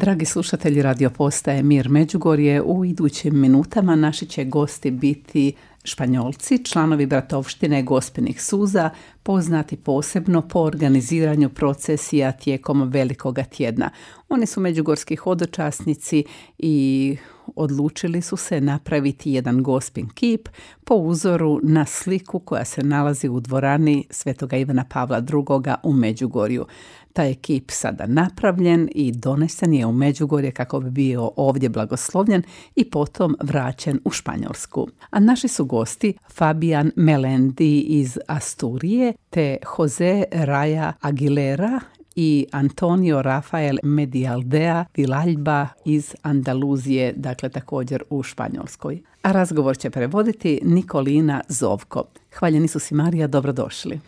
Dragi slušatelji radio postaje Mir Međugorje, u idućim minutama naši će gosti biti Španjolci, članovi bratovštine Gospinih suza, poznati posebno po organiziranju procesija tijekom Velikoga tjedna. Oni su međugorski hodočasnici i odlučili su se napraviti jedan Gospin kip po uzoru na sliku koja se nalazi u dvorani Svetoga Ivana Pavla II. U Međugorju. Taj je kip sada napravljen i donesen je u Međugorje kako bi bio ovdje blagoslovljen i potom vraćen u Španjolsku. A naši su gosti Fabian Melendi iz Asturije te Jose Raya Aguilera i Antonio Rafael Medialdea Vilalba iz Andaluzije, dakle također u Španjolskoj. A razgovor će prevoditi Nikolina Zovko. Hvaljeni su si, Marija, dobrodošli.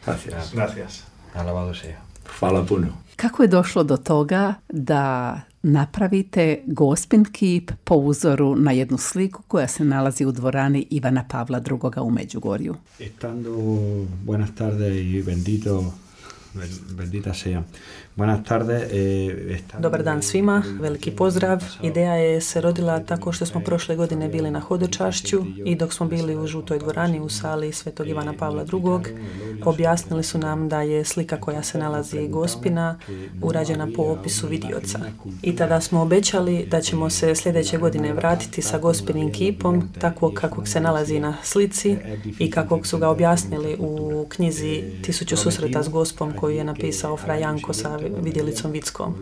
Gracias. Alabado sea. Hvala puno. Kako je došlo do toga da napravite Gospin kip po uzoru na jednu sliku koja se nalazi u dvorani Ivana Pavla II. U Međugorju? Estando, buenas tardes y bendita sea. Buenas tardes. Dobar dan svima, veliki pozdrav. Ideja je se rodila tako što smo prošle godine bili na hodočašću i dok smo bili u žutoj dvorani u sali Svetog Ivana Pavla II. Objasnili su nam da je slika koja se nalazi Gospina urađena po opisu vidioca. I tada smo obećali da ćemo se sljedeće godine vratiti sa Gospinim kipom takvog kakvog se nalazi na slici i kakvog su ga objasnili u knjizi 1000 susreta s Gospom koju je napisao Fra Janko sa vidjelicom Vickom.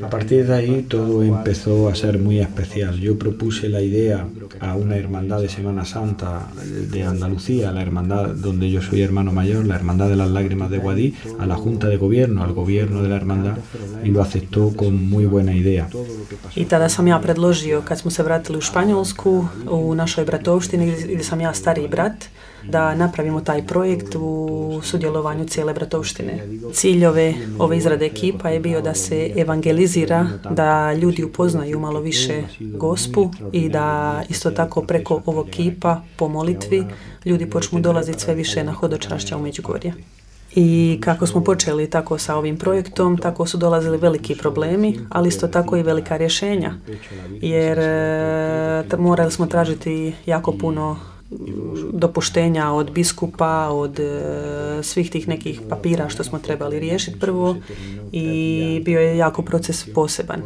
A partir de ahí todo empezó a ser muy especial. Yo propuse la idea a una hermandad de Semana Santa de Andalucía, la hermandad donde yo soy hermano mayor, la hermandad de las lágrimas de Guadix, a la junta de gobierno, al gobierno de la hermandad y lo aceptó con muy buena idea. I tada sam ja predložio, kad smo se vratili u Španjolsku, u našoj bratovštini gdje sam ja stariji brat, da napravimo taj projekt u sudjelovanju cijele bratovštine. Cilj ove izrade ekipa je bio da se evangelizira, da ljudi upoznaju malo više Gospu i da isto tako preko ovog kipa po molitvi ljudi počnu dolaziti sve više na hodočašća u Međugorje. I kako smo počeli tako sa ovim projektom, tako su dolazili veliki problemi, ali isto tako i velika rješenja, jer morali smo tražiti jako puno dopuštenja od biskupa, od svih tih nekih papira što smo trebali riješiti prvo i bio je jako proces poseban.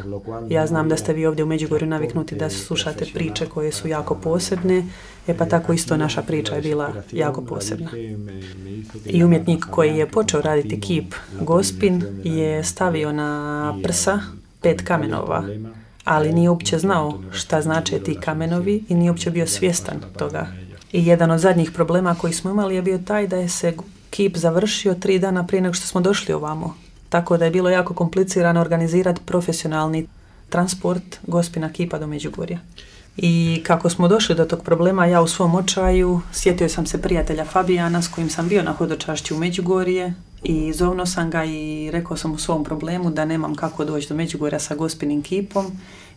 Ja znam da ste vi ovdje u Međugorju naviknuti da slušate priče koje su jako posebne, pa tako isto naša priča je bila jako posebna. I umjetnik koji je počeo raditi kip Gospin je stavio na prsa 5 kamenova, ali nije uopće znao šta znače ti kamenovi i nije uopće bio svjestan toga. I jedan od zadnjih problema koji smo imali je bio taj da je se kip završio 3 dana prije nego što smo došli ovamo. Tako da je bilo jako komplicirano organizirati profesionalni transport Gospina kipa do Međugorja. I kako smo došli do tog problema, ja u svom očaju sjetio sam se prijatelja Fabijana s kojim sam bio na hodočašću u Međugorje i zovno sam ga i rekao sam u svom problemu da nemam kako doći do Međugorja sa Gospinim kipom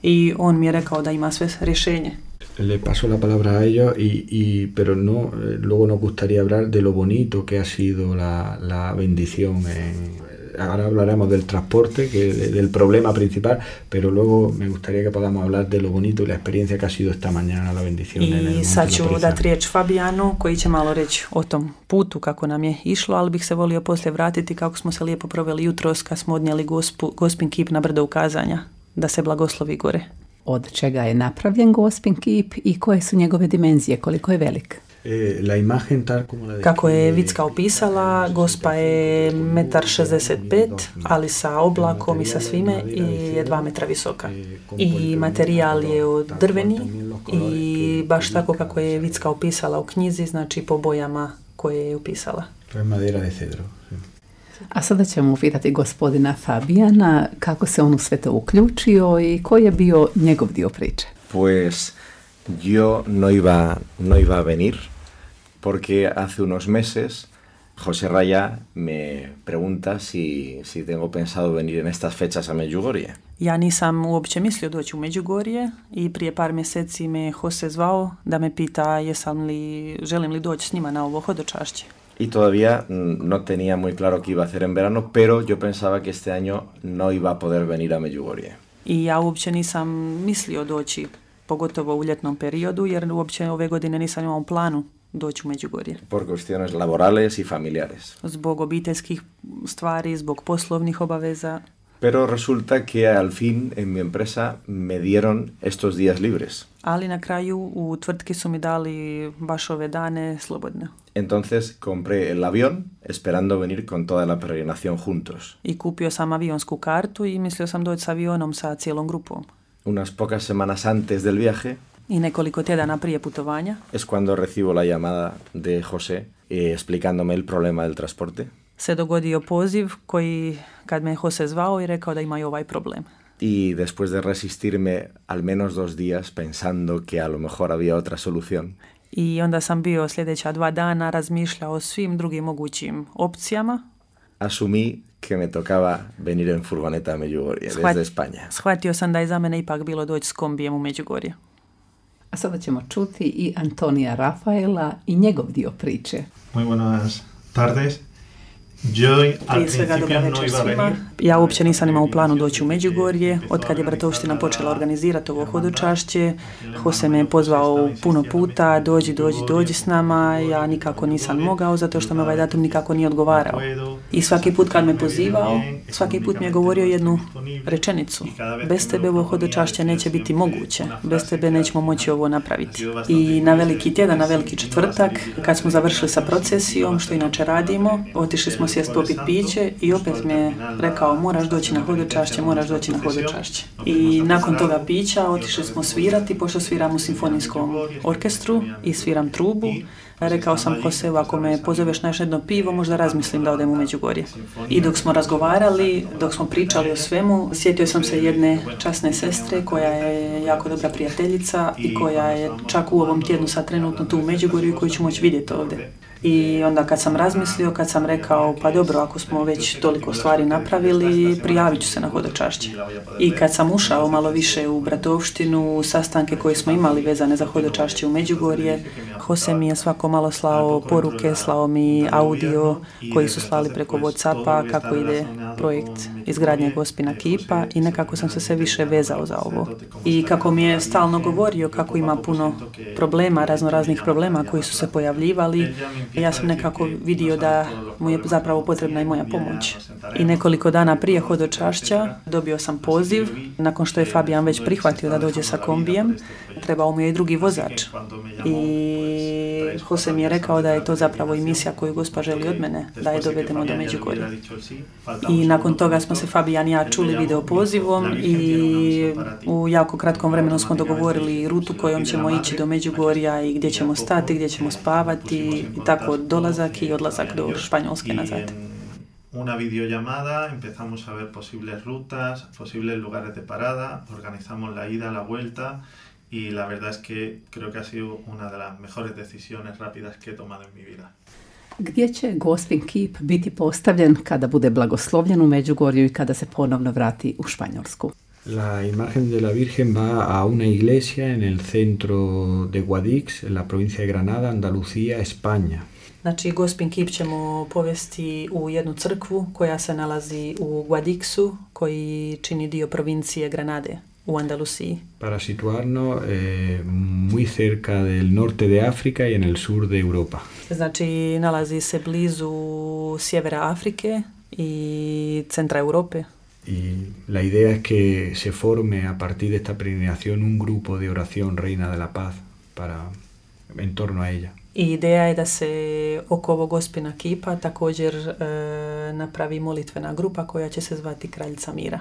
i on mi je rekao da ima sve rješenje. Le paso la palabra a ellos pero no, luego nos gustaría hablar de lo bonito que ha sido la bendición. Ahora hablaremos del transporte, del problema principal, pero luego me gustaría que podamos hablar de lo bonito y la experiencia que ha sido esta mañana la bendición. I sad ću dati riječ Fabijanu koji će malo reći o tom putu kako nam je išlo, ali bih se volio poslije vratiti kako smo se lijepo proveli jutros kad smo odnijeli Gospin kip na brdo ukazanja, da se blagoslovi gore. Od čega je napravljen Gospin kip i koje su njegove dimenzije, koliko je velik? Kako je Vicka opisala, Gospa je 1,65 m, ali sa oblakom i sa svime i je 2 metra visoka. I materijal je od drveni i baš tako kako je Vicka opisala u knjizi, znači po bojama koje je opisala. A sada ćemo upitati gospodina Fabijana kako se on u sve to uključio i koji je bio njegov dio priče. Pues yo no iba a venir porque hace unos meses José Raya me pregunta si tengo pensado venir en estas fechas a Međugorje. Ja nisam uopće mislio doći u Međugorje i prije par mjeseci me Jose zvao da me pita želim li doći s njima na ovo hodočašće. Y todavía no tenía muy claro qué iba a hacer en verano, pero yo pensaba que este año no iba a poder venir a Međugorje. I ja uopće nisam mislio doći, pogotovo u ljetnom periodu, jer uopće ove godine nisam imao planu doći u Međugorje. Por cuestiones laborales y familiares. Zbog obiteljskih stvari, zbog poslovnih obaveza. Pero resulta que al fin en mi empresa me dieron estos días libres. Ali na kraju u tvrtki su mi dali baš ove dane slobodne. Entonces compré el avión esperando venir con toda la peregrinación juntos. I kupio sam avionsku kartu i mislio sam doći s avionom sa cijelom grupom. Unas pocas semanas antes del viaje I nekoliko tjedana prije putovanja es cuando recibo la llamada de José explicándome el problema del transporte. se dogodio poziv koji, kad me Jose zvao i rekao da ima i ovaj problem. Y después de resistirme al menos 2 días pensando que a lo mejor había otra solución, I onda sam bio sljedeća 2 dana razmišljao o svim drugim mogućim opcijama. asumí que me tocaba venir en furgoneta a Medjugorje desde España. Shvatio sam da je za mene ipak bilo doći s kombijem u Međugorje. A sada ćemo čuti i Antonija Rafaela i njegov dio priče. Muy buenas tardes. Yo al Prije svega dobra principio no večer iba a svima. venir. Ja uopće nisam imao u planu doći u Međugorje. Od kad je Bratovština počela organizirati ovo hodočašće, Jose me je pozvao puno puta, dođi s nama. Ja nikako nisam mogao, zato što me ovaj datum nikako nije odgovarao. I svaki put kad me pozivao, svaki put mi je govorio jednu rečenicu. Bez tebe ovo hodočašće neće biti moguće. Bez tebe nećemo moći ovo napraviti. I na veliki tjedan, na veliki četvrtak, kad smo završili sa procesijom, što inače radimo, otišli smo sjest popit piće i opet mi je rekao moraš doći na hodočašće. I nakon toga pića otišli smo svirati, pošto sviram u simfonijskom orkestru i sviram trubu. Rekao sam Joseu, ako me pozoveš na još jedno pivo, možda razmislim da odem u Međugorje. I dok smo razgovarali, dok smo pričali o svemu, sjetio sam se jedne časne sestre koja je jako dobra prijateljica i koja je čak u ovom tjednu sad trenutno tu u Međugorju i koju ću moći vidjeti ovdje. I onda kad sam razmislio, kad sam rekao pa dobro, ako smo već toliko stvari napravili, prijavit ću se na hodočašće. I kad sam ušao malo više u Bratovštinu, sastanke koje smo imali vezane za hodočašće u Međugorje, Jose mi je svako malo slao poruke, slao mi audio koji su slali preko WhatsAppa kako ide projekt izgradnje Gospina kipa i nekako sam se sve više vezao za ovo. I kako mi je stalno govorio kako ima puno problema, raznoraznih problema koji su se pojavljivali, ja sam nekako vidio da mu je zapravo potrebna i moja pomoć. I nekoliko dana prije hodočašća dobio sam poziv, nakon što je Fabijan već prihvatio da dođe sa kombijem, trebao mu je i drugi vozač. I Jose mi je rekao da je to zapravo i misija koju Gospa želi od mene, da je dovedemo do Međugorja. I nakon toga smo se Fabijan i ja čuli video pozivom i u jako kratkom vremenu smo dogovorili rutu kojom ćemo ići do Međugorja i gdje ćemo stati, gdje ćemo spavati i tako dolazak i odlazak do Španjolske nazad. Una videollamada, empezamos a ver posibles rutas, posibles lugares de parada, organizamos la ida, la vuelta y la verdad es que creo que ha sido una de las mejores decisiones rápidas que he tomado en mi vida. Gdje će Gospin kip biti postavljen kada bude blagoslovljen u Međugorju i kada se ponovno vrati u Španjolsku? La imagen de la Virgen va a una iglesia en el centro de Guadix, en la provincia de Granada, Andalucía, España. Znači, Gospin kip ćemo povesti u jednu crkvu koja se nalazi u Guadixu, koji čini dio provincije Granade u Andalusiji. Para situarnos muy cerca del norte de África y en el sur de Europa. Znači, nalazi se blizu sjevera Afrike i centra Europe. Y la idea es que se forme a partir de esta peregrinación un grupo de oración Reina de la Paz en torno a ella. I ideja je da se oko ovog Gospina kipa također napravi molitvena grupa koja će se zvati Kraljica mira.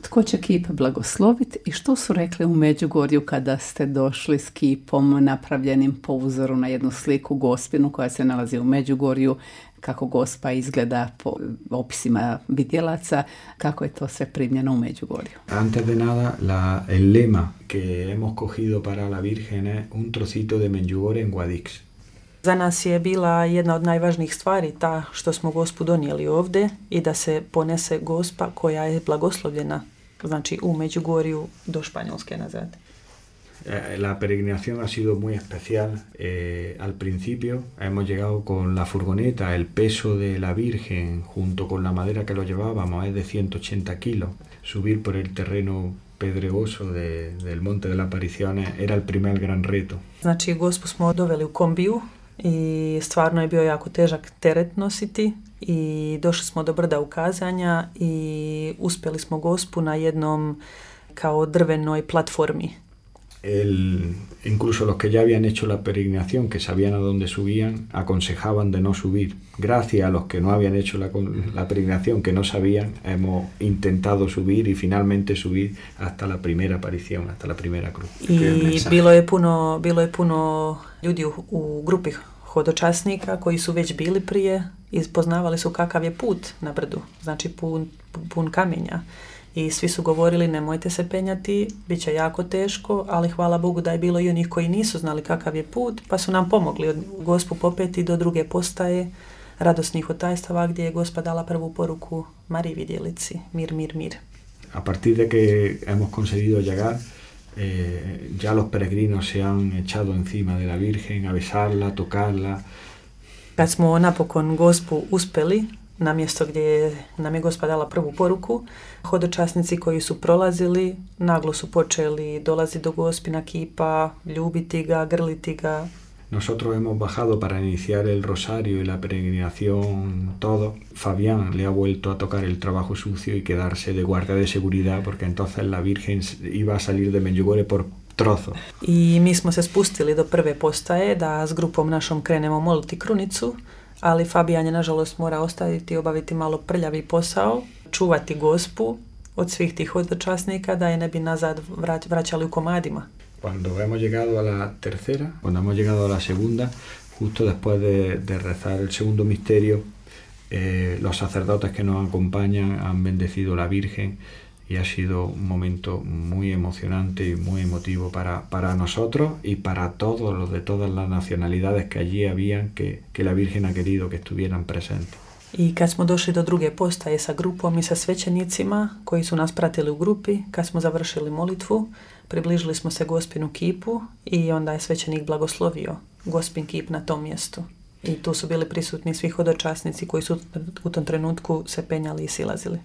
Tko će kip blagosloviti i što su rekli u Međugorju kada ste došli s kipom napravljenim po uzoru na jednu sliku Gospinu koja se nalazi u Međugorju, kako Gospa izgleda po opisima vidjelaca, kako je to sve primljeno u Međugorju? Antes de nada, el lema que hemos cogido para la Virgen es un trocito de Medjugorje en Guadix. Za nas je bila jedna od najvažnijih stvari ta što smo Gospu donijeli ovdje i da se ponese Gospa koja je blagoslovljena, znači u Međugorju do Španjolske nazad. La peregrinación ha sido muy especial. Al principio hemos llegado con la furgoneta, el peso de la Virgen junto con la madera que lo llevábamos es de 180 kilos. Subir por el terreno pedregoso del Monte de las Apariciones era el primer gran reto. Znači, Gospu smo doveli u kombiju i stvarno je bio jako težak teret nositi i došli smo do brda ukazanja i uspjeli smo Gospu na jednom kao drvenoj platformi. Incluso los que ya habían hecho la peregrinación, que sabían a dónde subían, aconsejaban de no subir. Gracias a los que no habían hecho la peregrinación, que no sabían, hemos intentado subir y finalmente subir hasta la primera aparición, hasta la primera cruz. I bilo je puno ljudi u grupi hodočasnika koji su već bili prije i poznavali su kakav je put na brdu, znači pun kamenja. I svi su govorili nemojte se penjati, bit će jako teško, ali hvala Bogu da je bilo i onih koji nisu znali kakav je put, pa su nam pomogli od Gospu popeti do druge postaje radosnih otajstava gdje je Gospa dala prvu poruku Mariji vidjelici, mir, mir, mir. A partir de que hemos conseguido llegar, ya los peregrinos se han echado encima de la Virgen a besarla, tocarla. Kad smo napokon Gospu uspeli, na mjesto gdje nam je Gospa dala prvu poruku, hodočasnici koji su prolazili naglo su počeli dolaziti do Gospina kipa, ljubiti ga, grliti ga. Nosotros hemos bajado para iniciar el rosario y la peregrinación todo. Fabián le ha vuelto a tocar el trabajo sucio y quedarse de guardia de seguridad porque entonces la Virgen iba a salir de Medjugorje por trozo. I mi smo se spustili do prve postaje da s grupom našom krenemo moliti krunicu, ali Fabijan je nažalost mora ostaviti i obaviti malo prljavi posao, čuvati Gospu od svih tih hodočasnika da je ne bi nazad vraćali u komadima. Cuando hemos llegado a la tercera, cuando hemos llegado a la segunda, justo después de rezar el segundo misterio, los sacerdotes que nos acompañan han bendecido a la Virgen y ha sido un momento muy emocionante y muy emotivo para nosotros y para todos los de todas las nacionalidades que allí habían, que la Virgen ha querido que estuvieran presentes. I kad smo došli do druge postaje sa grupom i sa svećenicima koji su nas pratili u grupi, kad smo završili molitvu, približili smo se Gospinu kipu i onda je svećenik blagoslovio Gospin kip na tom mjestu. I tu su bili prisutni svi hodočasnici koji su u tom trenutku se penjali i silazili.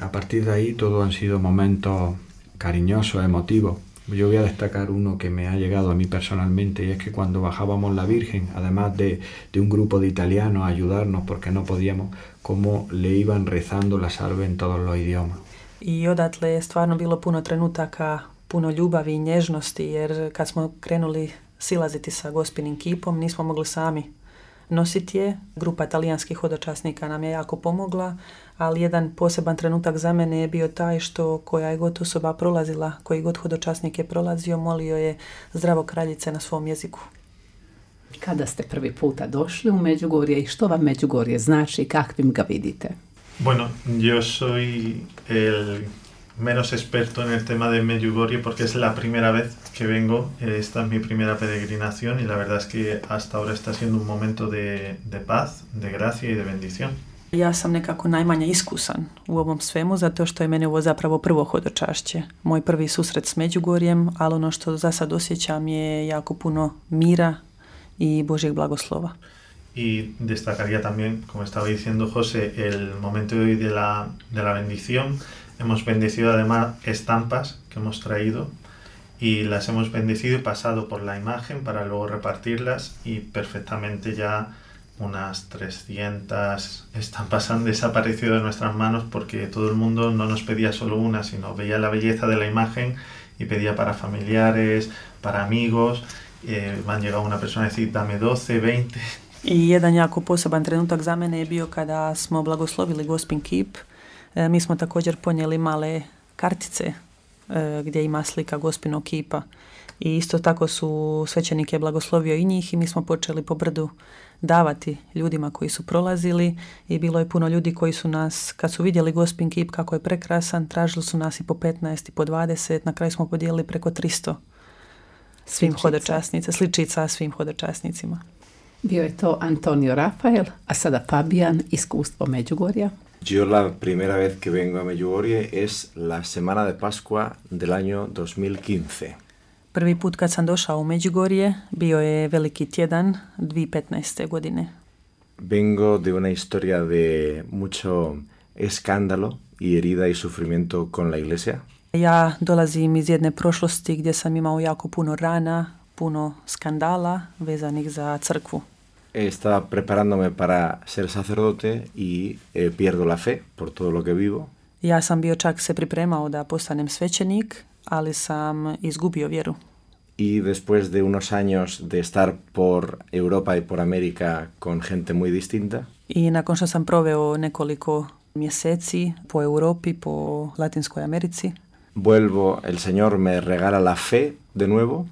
A partir de ahí todo han sido momentos cariñosos, emotivos. Yo voy a destacar uno que me ha llegado a mí personalmente y es que cuando bajábamos la Virgen, además de un grupo de italianos a ayudarnos porque no podíamos, cómo le iban rezando la salve en todos los idiomas. I odatle je stvarno bilo puno trenutaka, puno ljubavi i nježnosti jer kad smo krenuli silaziti sa Gospinim kipom nismo mogli sami nositi je. Grupa talijanskih hodočasnika nam je jako pomogla, ali jedan poseban trenutak za mene je bio taj što koja je god osoba prolazila, koji god hodočasnik je prolazio, molio je Zdravo kraljice na svom jeziku. Kada ste prvi puta došli u Međugorje i što vam Međugorje znači i kakvim ga vidite? Bueno, yo soy el menos experto en el tema de Medjugorje porque es la primera vez que vengo. Esta es mi primera peregrinación y la verdad es que hasta ahora está siendo un momento de paz, de gracia y de bendición. Ja sam nekako najmanje iskusan u ovom svemu zato što je mene ovo zapravo prvo hodočašće. Moj prvi susret s Međugorjem, ali ono što za sad osjećam je jako puno mira i Božjeg blagoslova. Y destacaría también, como estaba diciendo José, el momento de hoy de la bendición. Hemos bendecido además estampas que hemos traído y las hemos bendecido y pasado por la imagen para luego repartirlas y perfectamente ya unas 300 estampas han desaparecido de nuestras manos porque todo el mundo no nos pedía solo una, sino veía la belleza de la imagen y pedía para familiares, para amigos. Me han llegado una persona a decir dame 12, 20. I jedan jako poseban trenutak za mene je bio kada smo blagoslovili Gospin kip. Mi smo također ponijeli male kartice gdje ima slika Gospinog kipa. I isto tako su svećenik je blagoslovio i njih i mi smo počeli po brdu davati ljudima koji su prolazili i bilo je puno ljudi koji su nas, kad su vidjeli Gospin kip kako je prekrasan, tražili su nas i po 15 i po 20, na kraju smo podijelili preko 300 svim hodočasnicima, sličica svim hodočasnicima. Bio je to Antonio Rafael, a sada Fabian, iskustvo Međugorja. Yo la primera vez que vengo a Medjugorje es la semana de Pascua del año 2015. Prvi put kad sam došao u Međugorje bio je veliki tjedan 2015. godine. Vengo de una historia de mucho escándalo y herida y sufrimiento con la iglesia. Ja dolazim iz jedne prošlosti gdje sam imao jako puno rana, puno skandala vezanih za crkvu. Estaba preparándome para ser sacerdote y pierdo la fe por todo lo que vivo. Ja sam bio čak se pripremao da postanem svećenik, ali sam izgubio vjeru. Y después de unos años de estar por Europa y por América con gente muy distinta, I nakon što sam proveo nekoliko mjeseci po Europi, po Latinskoj Americi, vuelvo, el Señor me regala la fe de nuevo,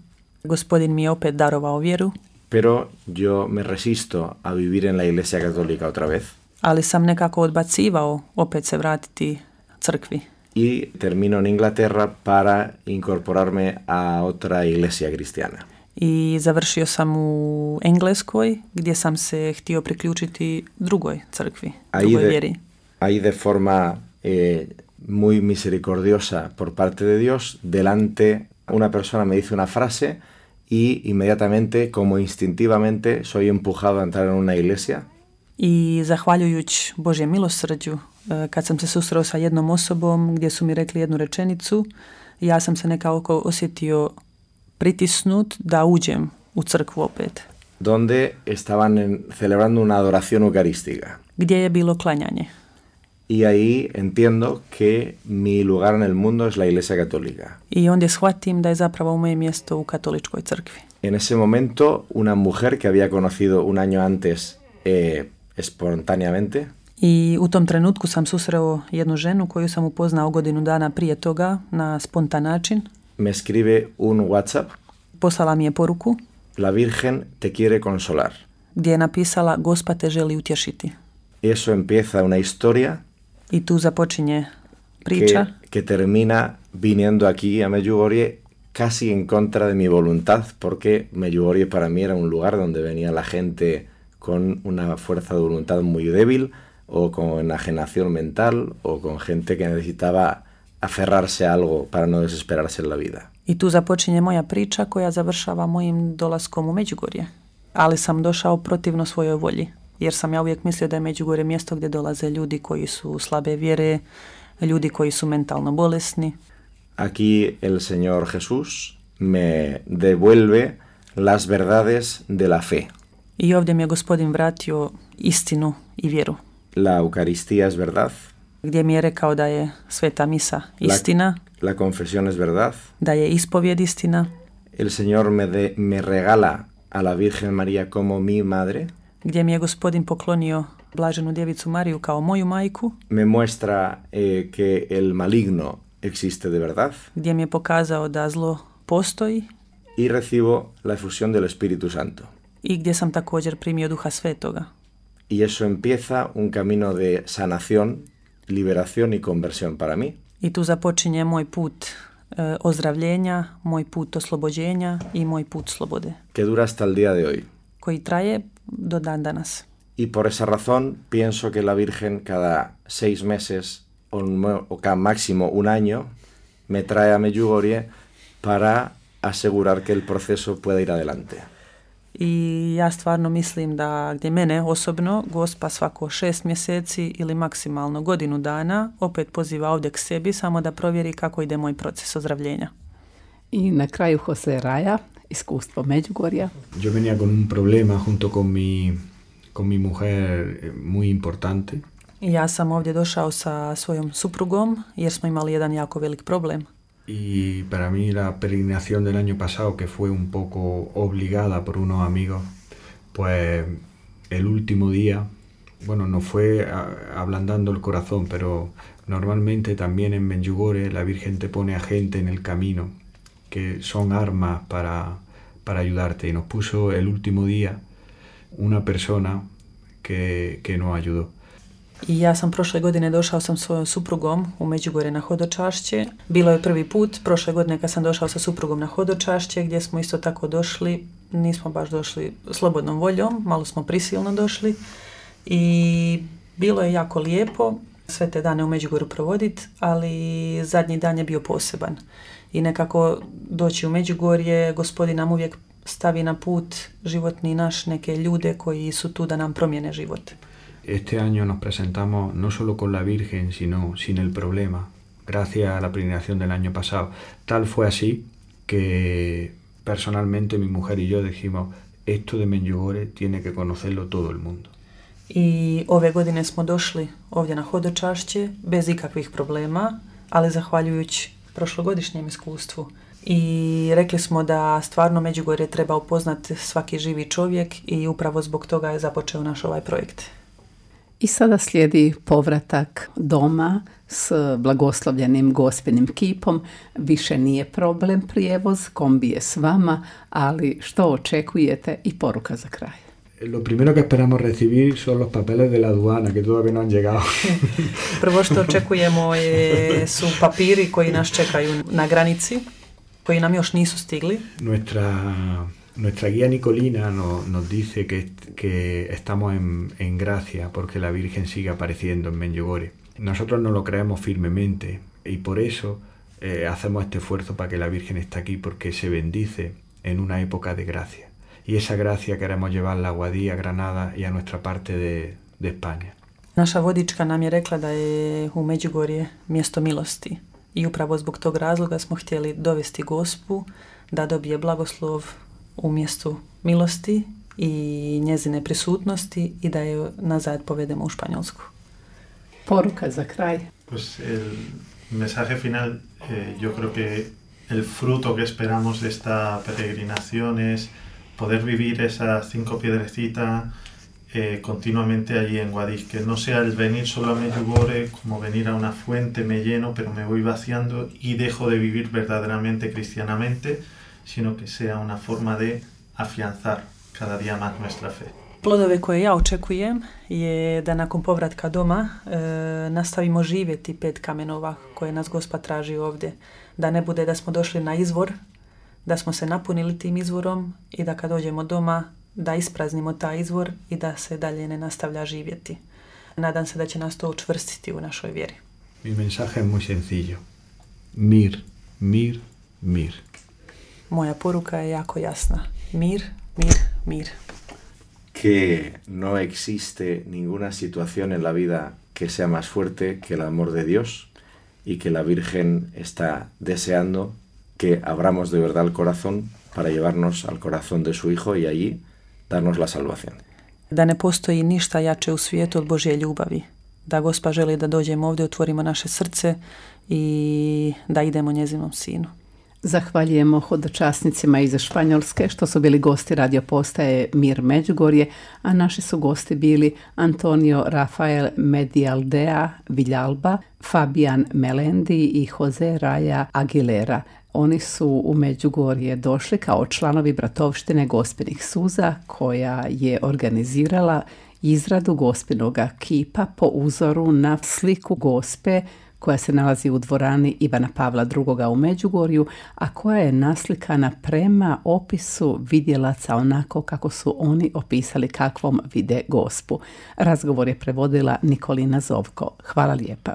Gospodin mi je opet darovao vjeru, pero yo me resisto a vivir en la Iglesia Católica otra vez. ali sam nekako odbacivao opet se vratiti crkvi. Y termino en Inglaterra para incorporarme a otra iglesia cristiana. I završio sam u Engleskoj gdje sam se htio priključiti drugoj crkvi, drugoj vjeri. Ahí de forma muy misericordiosa por parte de Dios, delante una persona me dice una frase y inmediatamente, como instintivamente, soy empujado a entrar en una iglesia. I zahvaljujući Božjem milosrđu, kad sam se susreo sa jednom osobom gdje su mi rekli jednu rečenicu, ja sam se nekako osjetio pritisnut da uđem u crkvu opet. Donde estaban celebrando una adoración eucarística. Gdje je bilo klanjanje. Y ahí entiendo que mi lugar en el mundo es la Iglesia Católica. I onda shvatim da je zapravo moje mjesto u katoličkoj crkvi. En ese momento, una mujer que había conocido un año antes espontáneamente, I u tom trenutku sam susreo jednu ženu koju sam upoznao godinu dana prije toga na spontan način. me escribe un WhatsApp. Poslala mi je poruku La Virgen te quiere consolar. gdje je napisala Gospa te želi utješiti. Eso empieza una historia I tu započinje priča que termina viniendo aquí a Medjugorje casi en contra de mi voluntad, porque Medjugorje para mí era un lugar donde venía la gente con una fuerza de voluntad muy débil, o con enajenación mental, o con gente que necesitaba aferrarse a algo para no desesperarse en la vida. I tu započinje moja priča koja završava mojim dolaskom u Međugorje. Ali sam došao protivno svojoj volji, jer sam ja uvijek mislio da je Međugorje mjesto gdje dolaze ljudi koji su slabe vjere, ljudi koji su mentalno bolesni. Aquí el Señor Jesús me devuelve las verdades de la fe. I ovdje mi je Gospodin vratio istinu i vjeru. La Eucaristía es verdad. Gdje mi je rekao da je sveta misa istina, La confesión es verdad. da je ispovjed istina. El Señor me regala a la Virgen María como mi madre. Gdje mi je Gospodin poklonio Blaženu Djevicu Mariju kao moju majku. Me muestra que el maligno existe de verdad. Gdje mi je pokazao da zlo postoji. Y recibo la efusión del Espíritu Santo. I gdje sam također primio Duha Svetoga. Y eso empieza un camino de sanación, liberación y conversión para mí. I tu započinje moj put ozdravljenja, moj put oslobođenja i moj put slobode. Que dura hasta el día de hoy. Koji traje do dan danas. Y por esa razón pienso que la Virgen cada 6 meses o cada máximo un año me trae a Medjugorje para asegurar que el proceso pueda ir adelante. I ja stvarno mislim da gdje mene osobno Gospa svako 6 mjeseci ili maksimalno godinu dana opet poziva ovdje k sebi samo da provjeri kako ide moj proces ozdravljenja. I na kraju Jose Raya, iskustvo Međugorja. Yo venía con un problema junto con mi mujer muy importante. I ja sam ovdje došao sa svojom suprugom jer smo imali jedan jako velik problem. Y para mí la peregrinación del año pasado, que fue un poco obligada por unos amigos, pues el último día, bueno, nos fue ablandando el corazón, pero normalmente también en Medjugorje la Virgen te pone a gente en el camino, que son armas para ayudarte. Y nos puso el último día una persona que nos ayudó. I ja sam prošle godine došao sa svojom suprugom u Međugorje na hodočašće. Bilo je prvi put, prošle godine kad sam došao sa suprugom na hodočašće, gdje smo isto tako došli, nismo baš došli slobodnom voljom, malo smo prisilno došli i bilo je jako lijepo sve te dane u Međugorju provoditi, ali zadnji dan je bio poseban. i nekako doći u Međugorje, Gospodin nam uvijek stavi na put životni naš neke ljude koji su tu da nam promijene život. Este año nos presentamos no solo con la Virgen, sino sin el problema, gracias a la peregrinación del año pasado. Tal fue así que personalmente mi mujer y yo dijimos, esto de Medjugorje tiene que conocerlo todo el mundo. I ove godine smo došli ovdje na hodočašće bez ikakvih problema, ali zahvaljujući prošlogodišnjem iskustvu. I rekli smo da stvarno Međugorje treba upoznati svaki živi čovjek i upravo zbog toga je započeo naš ovaj projekt. I sada slijedi povratak doma s blagoslovljenim Gospinim kipom. Više nije problem prijevoz, kombi je s vama, ali što očekujete i poruka za kraj? Lo primero que esperamos recibir son los papeles de la aduana, que todavía no han llegado. Prvo što očekujemo su papiri koji nas čekaju na granici, koji nam još nisu stigli. Nuestra guía Nicolina nos dice que estamos en gracia porque la Virgen sigue apareciendo en Medjugorje. Nosotros no lo creemos firmemente y por eso hacemos este esfuerzo para que la Virgen esté aquí porque se bendice en una época de gracia. Y esa gracia queremos llevarla a Guadix, a Granada y a nuestra parte de España. Naša vodička nam je rekla da je u Međugorje mjesto milosti i upravo zbog tog razloga smo htjeli dovesti Gospu da dobije blagoslov u mjestu milosti i njezine prisutnosti i da je nazad povedemo u Španjolsku. Poruka za kraj. Pues el mensaje final, yo creo que el fruto que esperamos de esta peregrinación es poder vivir esas 5 piedrecitas continuamente allí en Guadix, que no sea el venir solo a Medjugorje como venir a una fuente, me lleno, pero me voy vaciando y dejo de vivir verdaderamente cristianamente, sino que sea una forma de afianzar cada día más nuestra fe. Plodove koje ja očekujem je da nakon povratka doma nastavimo živjeti 5 kamenova koje nas Gospa traži ovdje. Da ne bude da smo došli na izvor, da smo se napunili tim izvorom i da kad dođemo doma da ispraznimo taj izvor i da se dalje ne nastavlja živjeti. Nadam se da će nas to učvrstiti u našoj vjeri. Mi mensaje es muy sencillo. Mir, mir, mir. Moja poruka je jako jasna. Mir, mir, mir. Que no existe ninguna situación en la vida que sea más fuerte que el amor de Dios y que la Virgen está deseando que abramos de verdad el corazón para llevarnos al corazón de su Hijo y allí darnos la salvación. Da ne postoji ništa jače u svijetu od Božje ljubavi. Da Gospa želi da dođemo ovdje, otvorimo naše srce i da idemo njezinom sinu. Zahvaljujemo hodočasnicima iz Španjolske što su bili gosti radio postaje Mir Međugorje, a naši su gosti bili Antonio Rafael Medialdea Villalba, Fabian Melendi i Jose Raya Aguilera. Oni su u Međugorje došli kao članovi bratovštine Gospinih suza koja je organizirala izradu Gospinoga kipa po uzoru na sliku Gospe koja se nalazi u dvorani Ivana Pavla II. U Međugorju, a koja je naslikana prema opisu vidjelaca onako kako su oni opisali kakvom vide Gospu. Razgovor je prevodila Nikolina Zovko. Hvala lijepa.